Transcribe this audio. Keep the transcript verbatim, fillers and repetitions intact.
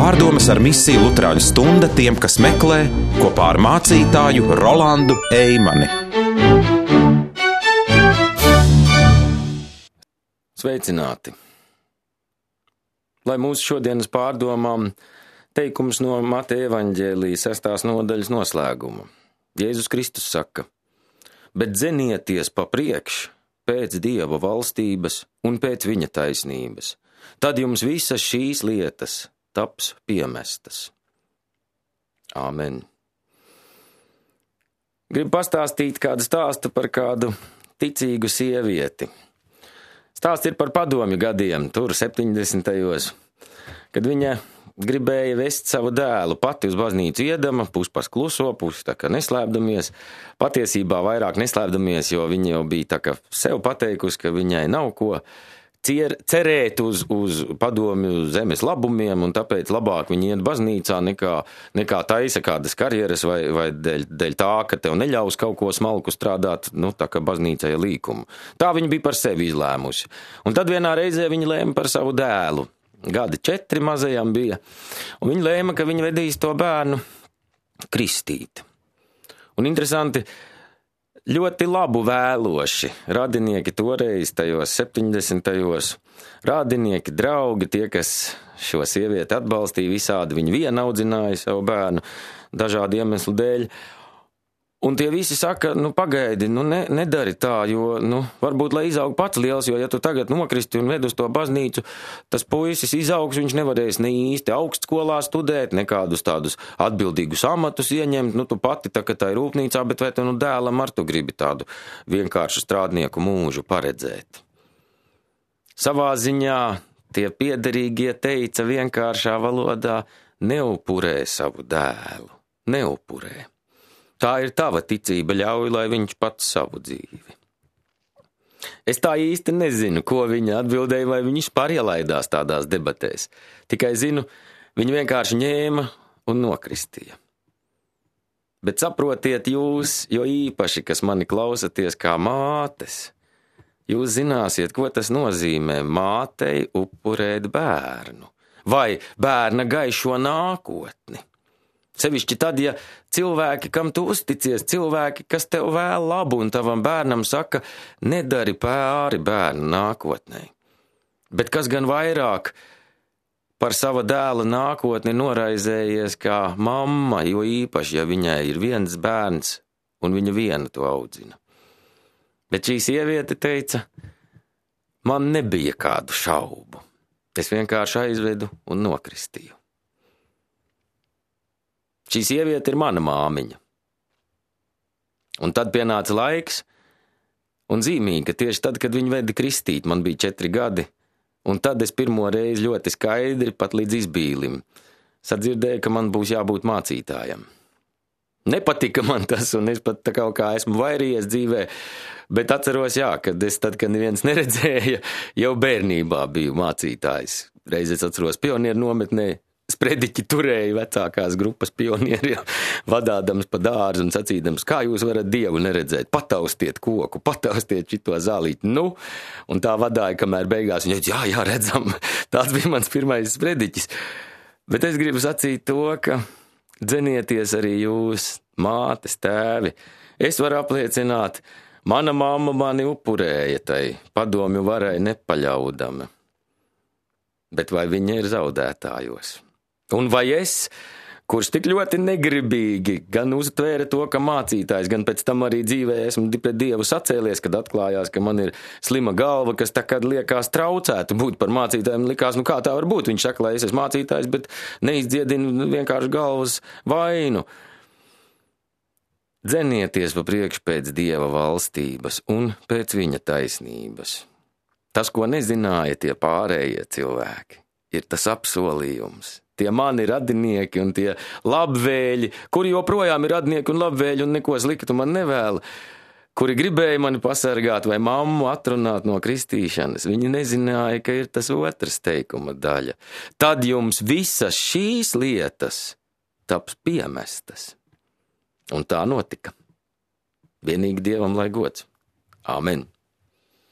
Pārdomas ar misiju Luterāņu stunda tiem, kas meklē, kopā ar mācītāju Rolandu Eimani. Sveicināti! Lai mūsu šodienas pārdomām teikums no Mateja evaņģēlija sestās nodaļas noslēguma. Jēzus Kristus saka: bet dzenieties pa priekš pēc Dieva valstības un pēc viņa taisnības, tad jums visas šīs lietas taps piemestas. Āmen. Gribu pastāstīt kādu stāstu par kādu ticīgu sievieti. Stāsts ir par padomju gadiem, tur septiņdesmitajos, kad viņa gribēja vest savu dēlu pati uz baznīcu iedama, pus pas kluso, pus tā kā neslēpdamies. Patiesībā vairāk neslēpdamies, jo viņa jau bija tā kā sev pateikusi, ka viņai nav ko cier, cerēt uz, uz padomju zemes labumiem, un tāpēc labāk viņa iet baznīcā nekā, nekā taisa kādas karjeras vai, vai dēļ, dēļ tā, ka tev neļaus kaut ko smalku strādāt, nu tā kā baznīcai līkumu. Tā viņa bija par sevi izlēmusi. Un tad vienā reizē viņa lēma par savu dēlu. Gadi četri mazajam bija, un viņa lēma, ka viņa vedīs to bērnu kristīt. Un interesanti, ļoti labu vēloši radinieki toreiz, tajos septiņdesmitajos, radinieki, draugi, tie, kas šo sievieti atbalstīja visādi, viņi viena audzināja savu bērnu dažādu iemeslu dēļ. Un tie visi saka, nu pagaidi, nu ne, nedari tā, jo, nu, varbūt, lai izaug pats liels, jo ja tu tagad nokristi un ved uz to baznīcu, tas puisis izaugs, viņš nevarēs ne īsti augstskolā studēt, nekādus tādus atbildīgus amatus ieņemt, nu tu pati tā, ka tā ir rūpnīcā, bet vai tu nu dēlam ar tu gribi tādu vienkāršu strādnieku mūžu paredzēt? Savā ziņā tie piederīgie teica vienkāršā valodā: neupurē savu dēlu, neupurē. Tā ir tava ticība, ļauj, lai viņš pats savu dzīvi. Es tā īsti nezinu, ko viņa atbildēja, vai viņš pārielaidās tādās debatēs. Tikai zinu, viņa vienkārši ņēma un nokristīja. Bet saprotiet jūs, jo īpaši, kas mani klausaties kā mātes, jūs zināsiet, ko tas nozīmē mātei upurēt bērnu vai bērna gaišo nākotni. Sevišķi tad, ja cilvēki, kam tu uzticies, cilvēki, kas tev vēl labu un tavam bērnam saka, nedari pāri bērnu nākotnē. Bet kas gan vairāk par sava dēla nākotni noraizējies kā mamma, jo īpaši, ja viņai ir viens bērns un viņa viena to audzina. Bet šī sieviete teica, man nebija kādu šaubu. Es vienkārši aizvedu un nokristīju. Šī sieviete ir mana māmiņa. Un tad pienāca laiks, un zīmīgi, ka tieši tad, kad viņa veda kristīt, man bija četri gadi, un tad es pirmo reizi ļoti skaidri, pat līdz izbīlim, sadzirdēju, ka man būs jābūt mācītājam. Nepatika man tas, un es pat tā kaut kā esmu vairījies dzīvē, bet atceros, jā, kad es tad, kad neviens neredzēja, jau bērnībā biju mācītājs. Reiz es atceros pionieru nometnē, sprediķi turēja vecākās grupas pionieri, vadādams pa dārzu un sacīdams, kā jūs varat Dievu neredzēt, pataustiet koku, pataustiet šito zālīti, nu, un tā vadāja, kamēr beigās viņa, jā, jā, redzam, tāds bija mans pirmais sprediķis. Bet es gribu sacīt to, ka dzenieties arī jūs, mātes, tēvi. Es varu apliecināt, mana mamma mani upurēja tai padomju varai nepaļaudama, bet vai viņa ir zaudētājos? Un vai es, kurš tik ļoti negribīgi gan uztvēra to, ka mācītājs, gan pēc tam arī dzīvē esmu pret Dievu sacēlies, kad atklājās, ka man ir slima galva, kas tā kad liekas traucētu būt par mācītājiem, likās, nu kā tā var būt? Viņš saka, lai es esmu mācītājs, bet neizdziedinu vienkārši galvas vainu. Dzenieties pa priekšu pēc Dieva valstības un pēc viņa taisnības. Tas, ko nezināja tie pārējie cilvēki, ir tas apsolījums. Tie mani radinieki un tie labvēļi, kuri joprojām ir radinieki un labvēļi un neko sliktu man nevēla, kuri gribēja mani pasargāt vai mammu atrunāt no kristīšanas, viņi nezināja, ka ir tas otrs teikuma daļa. Tad jums visas šīs lietas taps piemestas. Un tā notika. Vienīgi Dievam lai gods. Āmen.